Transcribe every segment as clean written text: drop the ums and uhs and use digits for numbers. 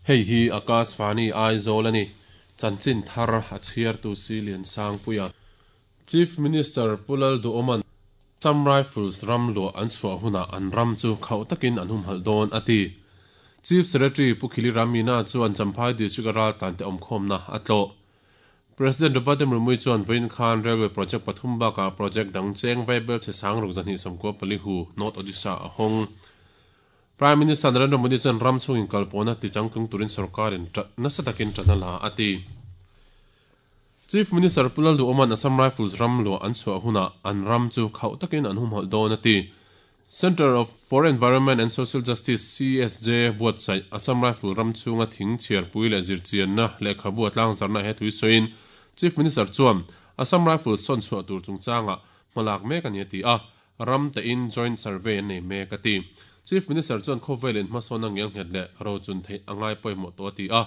Hei hi Akashvani Aizawl a ni. Chanchin thar a chhiartu si Liansangpuia. Chief Minister Pu Lalduhawma'n Assam Rifles ram luah an chhuah hunah an ram chu khauh takin an humhalh dawn a ti. Chief Secretary Pu Khili Ramina chuan Champhai District-a raltlante awmkhawmna a tlawh. President Draupadi Murmu chuan vawiin khan Railway project pathum bakah project dang cheng vaibel chhe sang ruk 294 hu North Odisha a hawng. Prime Minister Narendra Modi chuan ram chhung inkalpawhna tichangtlung turin sorkarin nasa takin ṭan a la a ti. Chief Minister Pu Lalduhawma'n Assam Rifles ram luah an chhuah hunah an ram chu khauh takin an humhalh dawn a ti. Centre of for Environment and Social Justice, CESJ, buatsaih Assam Rifle ram chhunga thing chhiarpui leh zirchianna lehkhabu a tlangzarna he tui sawiin Chief Minister chuan Assam Rifles sawn chhuah tur chungchangah hmalak mek a ni a ti a, ram tein joint survey an nei mek a ti. Chief Minister chuan khawvelin hmasawnna ngelnghet leh rochun theih a ngai pawimawh tawh a ti a,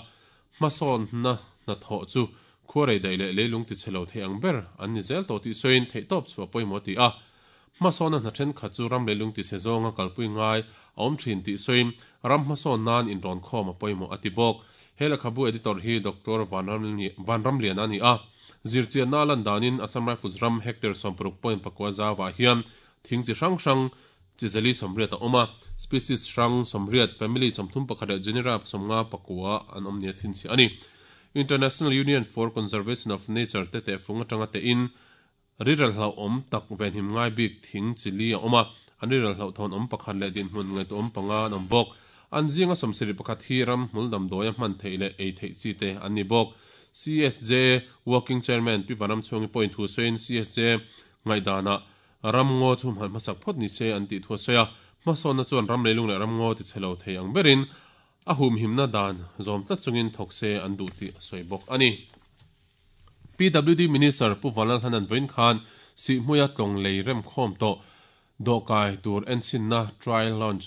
hmasawnna hnathawh chu khuarei daih leh leilung tichhe lo thei ang ber an ni zel tawh tih sawiin theihtawp chhuah pawimawh a ti a. Hmasawnna hna thenkhat chu ram leilung tichhe zawnga kalpui ngai a awm thin tih sawiin ram hmasawn nan inrawn khawm a pawimawh a ti bawk. He lehkhabu editor hi Doctor Vanramliana a ni a. Zirchianna a lan danin Assam Rifles ram hectare 60.9 zauvah hian thing chi hrang hrang chi zali 80 a awm a, species hrang 80, family 31 leh genera 59 an awm nia chhinchhiah a ni. International Union for Conservation of Nature te tehfung atanga tehin Riral hlauhawm tak venhim ngai bik thing chi li a awm a, an riral hlauhthawn awm pakhat leh dinhmun ngaihtuahawm panga an awm bawk. An zinga sawmsarih pakhat hi ram hmul damdawia hman theih leh ei theih chi te an ni bawk. CSJ Working Chairman Pi Vanramchhuangi pawhin thu sawiin CSJ ngaihdanah ram ngaw chu hmalh hmasak phawt ni se an tih thu a sawi a, hmasawnna chuan ram leilung leh ram ngaw tichhe lo thei ang berin a humhimna dan zawm tlat chungin thawk se an duh tih a sawi bawk a ni. PWD Minister Pu Vanlalhanan vawiin khan Sihhmuia tlawng lei remkhawm tawh dawhkai tur enchhinna trial launch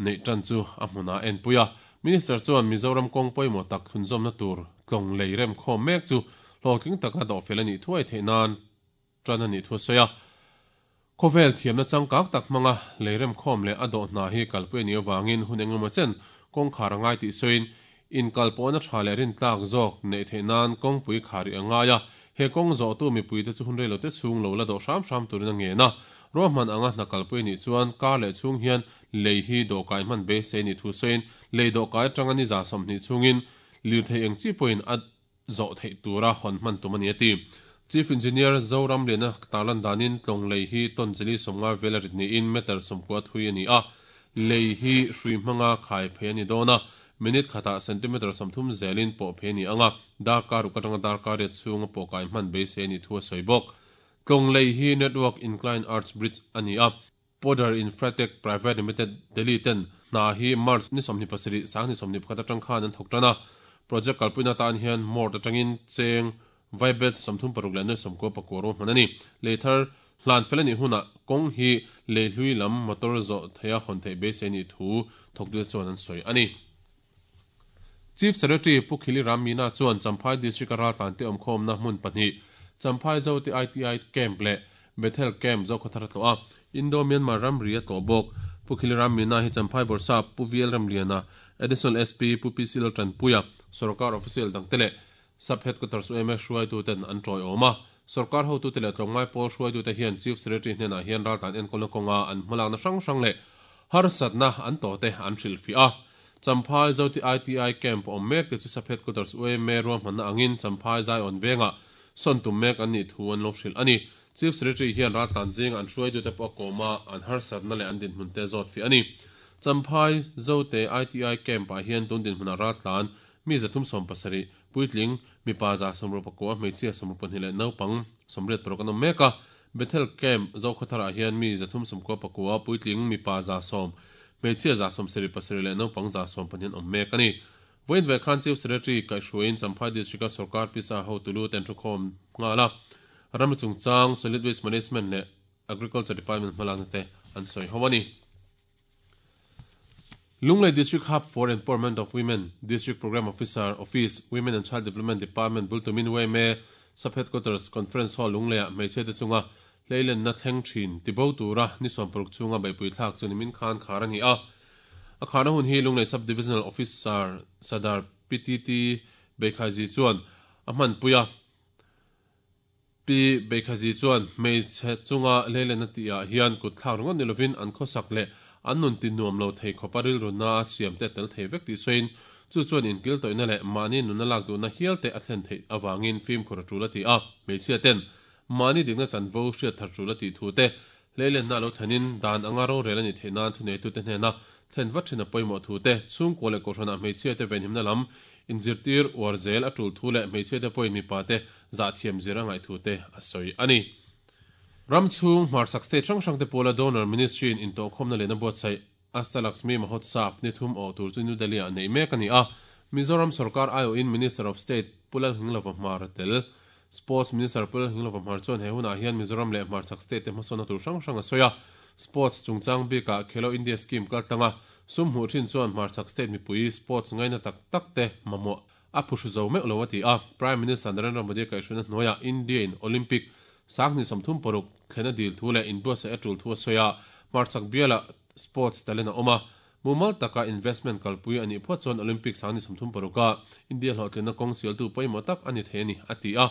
neih tan chu a hmunah a enpui a. Minister chuan Mizoram kawng pawimawh tak thlunzawmna tur tlawng lei remkhawm mek chu hlawhtling taka dawhfel a nih thuai theih nan tan a nih thu a sawi a. Khawvel thiamna changkang tak hmanga lei remkhawm leh a dawh hna hi kalpui a nih avangin hun engemaw chen kawngkhar a ngai tih sawiin, inkalpawhna tha leh rintlak zawk neih theih nan kawngpui khar rih a ngai a, he kawng zawhtu mipuite chu hun reilote chhung lo la dawh hram hram turin a ngen a. Ruahman anga hna kalpui a nih chuan kar leh chhung hian lei hi dawhkai hman beisei a nih thu sawiin, lei dawhkai atanga ni 20 chhungin lirthei eng chi pawhin a zawh theih tura hawn hman tum a ni a ti. Chief Engineer Zoramliana tarlan danin tlawng lei hi ton chili 50 vel a rit niin meter 90 thui a ni a, lei hi hrui hmanga khai phei a ni dawn a, minute khatah centimeter 30 zelin pawh phei a ni ang a, darkar ruk atanga darkar riat chhunga pawh kai hman beisei a nih thu a sawi bawk. Tlawng lei hi Network Inclined Arch Bridge a ni a. Podar Infratech Private Limited, Delhi ten hna hi March ni 27, 2021 atang khan an thawk tan a. Project kalpuina atan hian Mort atangin cheng vaibel 36 leh nuai 99 ruahman a ni. Lei thar hlan fel a nih hunah kawng hi lei hlui lam motor zawh theiha hawn theih beisei nih thu thawktute chuan an sawi a ni. Chief Secretary Pu Khili Ram Meena chuan Champhai District-a raltlante awmkhawmna hmun pahnih, Champhai Zote ITI Camp leh Bethel Camp Zokhawthar a tlawh a, Indo-Myanmar ramri a tlawh bawk. Pu Khili Ram Meena hi Champhai Bawrhsap Pu VL Ramliana, Additional SP Pu PC Laltanpuia, Sorkar official dangte leh Sub Headquarters UMA hruaituten an tawiawm a. Sorkar hotute leh tlawmngai pawl hruaitute hian Chief Secretary hnenah hian raltlan enkawlna kawnga an hmalakna hrang hrang leh harsatna an tawhte an hrilhfiah a. Champhai Zoti ITI Camp awm mek te chu Sub Headquarters UMA ruahmanna angin Champhai Zaiawn vengah sawn tum mek an nih thu an lo hrilh a ni. Chief Secretary hian raltlan zinga an hruaitute pawh a kawm a, an harsatna leh an dinhmun te zawtfiah a ni. Champhai Zote ITI Camp-ah hian tun dinhmunah raltlan Mi 370, puitling, mipa 169, hmeichhia 62 leh naupang 86 an awm mek a. Bethel Camp, Zokhawtharah hian mi 399, puitling, mipa 110, hmeichhia 77 leh naupang 12 an awm mek a ni. Vawiin ve khan Chief Secretary kaihhruaiin Champhai District-a sorkar pisa hotu lu ten thukhawm nghal a, ramri chungchang, Solid Waste Management leh Agriculture Department hmalakna te an sawi ho a ni. Lunglei District Hub for Empowerment of Women, District Programme Officer, Office, Women and Child Development Department bultumin yma Sub Headquarters Conference Hall Lungleiah hmeichhiate chunga hleilenna thleng thin tibo tura ni 60 chhunga beihpui thlak chu nimin khan khar a ni a. A kharna hun hi Lunglei Sub Divisional Officer Sadar PTT Beikhazi chuan a hmanpui a. Pi Beikhazi chuan hmeichhe chunga hleilenna tihah hian kut thlak ringawt ni lovin an khawsak leh an nun ti nuam lo thei khawpa rilruna a siam te a tel thei vek tih sawiin chu chuan inkil tawihna leh mahni nunna lak duhna hial te a thlen theih avangin fimkhur a tul a ti a. Hmeichhia ten mahni dikna chanvo hriat thar tul a tih thu te Hleilenna a lo thlenin dan anga rorel a nih theih nan thuneitute hnena thlen vat thin a pawimawh thu te, chhungkua leh kohhranah hmeichhiate venhimna lam inzirtir uar zel a tul thu leh hmeichhiate pawhin mipate zahthiam zir a ngaih thu te a sawi a ni. Ram chhung hmarchhak state hrang hrangte pawla Donor Ministry-in intawhkhawmna lehna buatsaih Ashtalaxmi Mahotsav ni thum awh tur chu New Delhi-ah neih mek a ni a, Mizoram sorkar aiawhin Minister of State Pu Lalnghinglova Hmar a tel. Sports Minister Pu Lalnghinglova Hmar chuan he hunah hian Mizoram leh hmarchhak state te hmasawnna tur hrang hrang a sawi a, Sports chungchang bikah Khelo India Scheme kaltlanga sum hmuh thin chuan hmarchhak state mipui sports ngaina tak tak te mamawh a phuhru zo meuh lo a ti a, Prime Minister Narendra Modi kaihhruaina hnuaiah India-in Olympic 2036 thlen a dil thu leh inbuatsaih a tul thu a sawi a, hmarchhak bialah sports talent a awm a, mumal taka investment kalpui a nih phawt chuan Olympic 2036-a India hlawhtlinna kawng sialtu pawimawh tak a ni thei a ni, a ti a.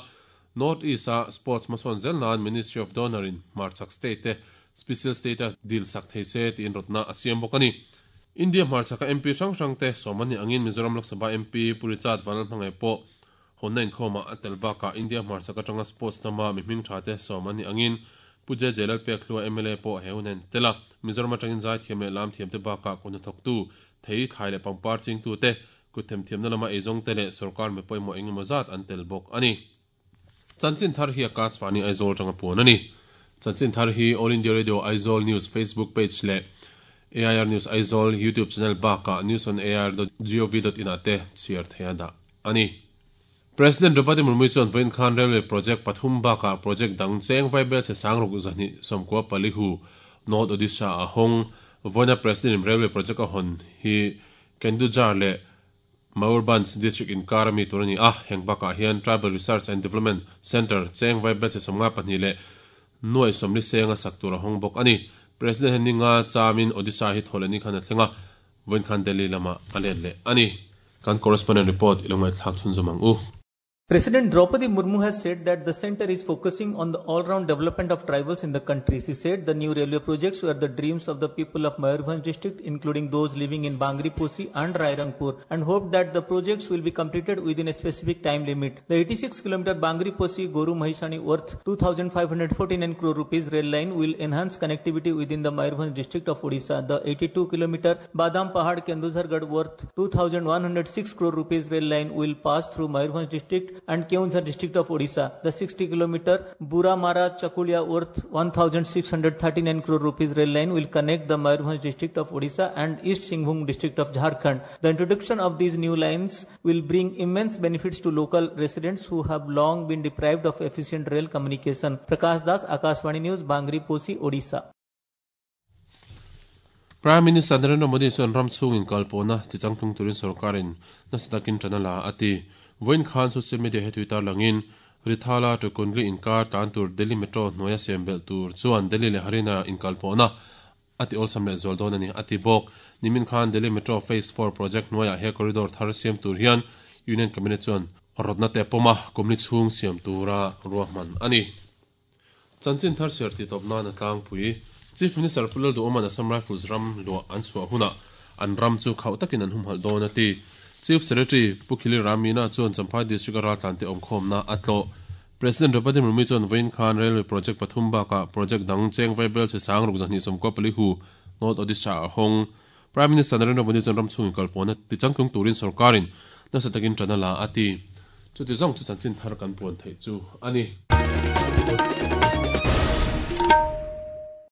North East-a sports hmasawn zel nan Ministry of Donor-in hmarchhak state te special status dil sak thei se tiin rawtna a siam bawk a ni. India hmarchhaka MP hrang hrangte sawm an nih angin Mizoram Lok Sabha MP Pu Richard Vanlalhmangaih pawh hawnna inkhawmah a tel bakah India hmarchhak atanga sports lama mi hming tha te sawm an nih angin Pu JJ Lalpekhlua mla pawh he hun a intel a. Mizoram atangin zaithiam leh lamthiam te bakah kut hnathawktu, thei, thlai leh pangpar chingtute, kut themthiamna lama eizawngte leh sorkar mi pawimawh engemaw zat an tel bawk a ni. Chanchin thar hi Akashvani Aizawl atanga puan a ni. Chanchin thar hi All India Radio Aizawl News Facebook page leh AIR News Aizawl YouTube channel bakah newsonair.gov.in ah te chhiar theih a dah a ni. President Draupadi Murmu chuan vawiin khan Railway project pathum bakah project dang cheng vaibel chhe sangruk 294 hu North Odisha a hawng. Vawiina President in Railway project a hawn hi Kendujhar leh Mayurbhanj District inkar a mi tur a ni a, heng bakah hian Tribal Research and Development Centre cheng vaibel chhe 52 leh nuaih 40 senga sak tur a hawng bawk a ni. President hian ninga chamin Odisha hi thaw leh ni khan a thleng a, vawiin khan Delhi lamah a let leh a ni. Kan correspondent report i lo ngaihthlak chhunzawm ang u. President Draupadi Murmu has said that the center is focusing on the all-round development of tribals in the country. She said the new railway projects were the dreams of the people of Mayurbhanj district, including those living in Bangriposi and Rairangpur, and hoped that the projects will be completed within a specific time limit. The 86-kilometer Bangriposi-Goru Mahisani worth 2,549 crore rupees rail line will enhance connectivity within the Mayurbhanj district of Odisha. The 82-kilometer Badam Pahad Kendujhargarh worth 2,106 crore rupees rail line will pass through Mayurbhanj district and Keonjhar district of Odisha. The 60-kilometer Buramara Chakulia worth 1,639 crore rupees rail line will connect the Mayurbhanj district of Odisha and East Singhbhum district of Jharkhand. The introduction of these new lines will bring immense benefits to local residents who have long been deprived of efficient rail communication. Prakash Das, Akashvani News, Bangriposi, Odisha. Prime Minister Narendra Modi chuan ram chhung inkalpawhna tichangtlung turin sorkarin nasa takin tan a la a ti. Vawiin khan social media he tui tarlangin Rithala to Kundli inkar tan tur Delhi Metro hnuaia siam belh tur chuan Delhi leh Haryana inkalpawhna a ti awlsam leh zual dawn a ni a ti bawk. Nimin khan Delhi Metro Phase 4 project hnuaiah he corridor thar siam tur hian Union Cabinet chuan rawtna te pawm a, kumli chhung siam tura ruahman a ni. Chanchin thar chhiar tih tawp nan a tlangpui. Chief Minister Pu Lalduhawma'n Assam Rifles ram luah an chhuah hunah an ram chu khauh takin an humhalh dawn a ti. Chief Secretary Pu Khili Ram Meena chuan Champhai District-a raltlante awmkhawmna a tlawh. President Draupadi Murmu chuan vawiin khan Railway project pathum bakah project dang cheng vaibel chhe sang ruk 294 hu North Odisha a hawng. Prime Minister Narendra Modi chuan ram chhungin kalpawhna tichangtlung turin sorkarin nasa takin tan a la a ti. Chuti zawng chu chanchin thar kan puan theih chu a ni.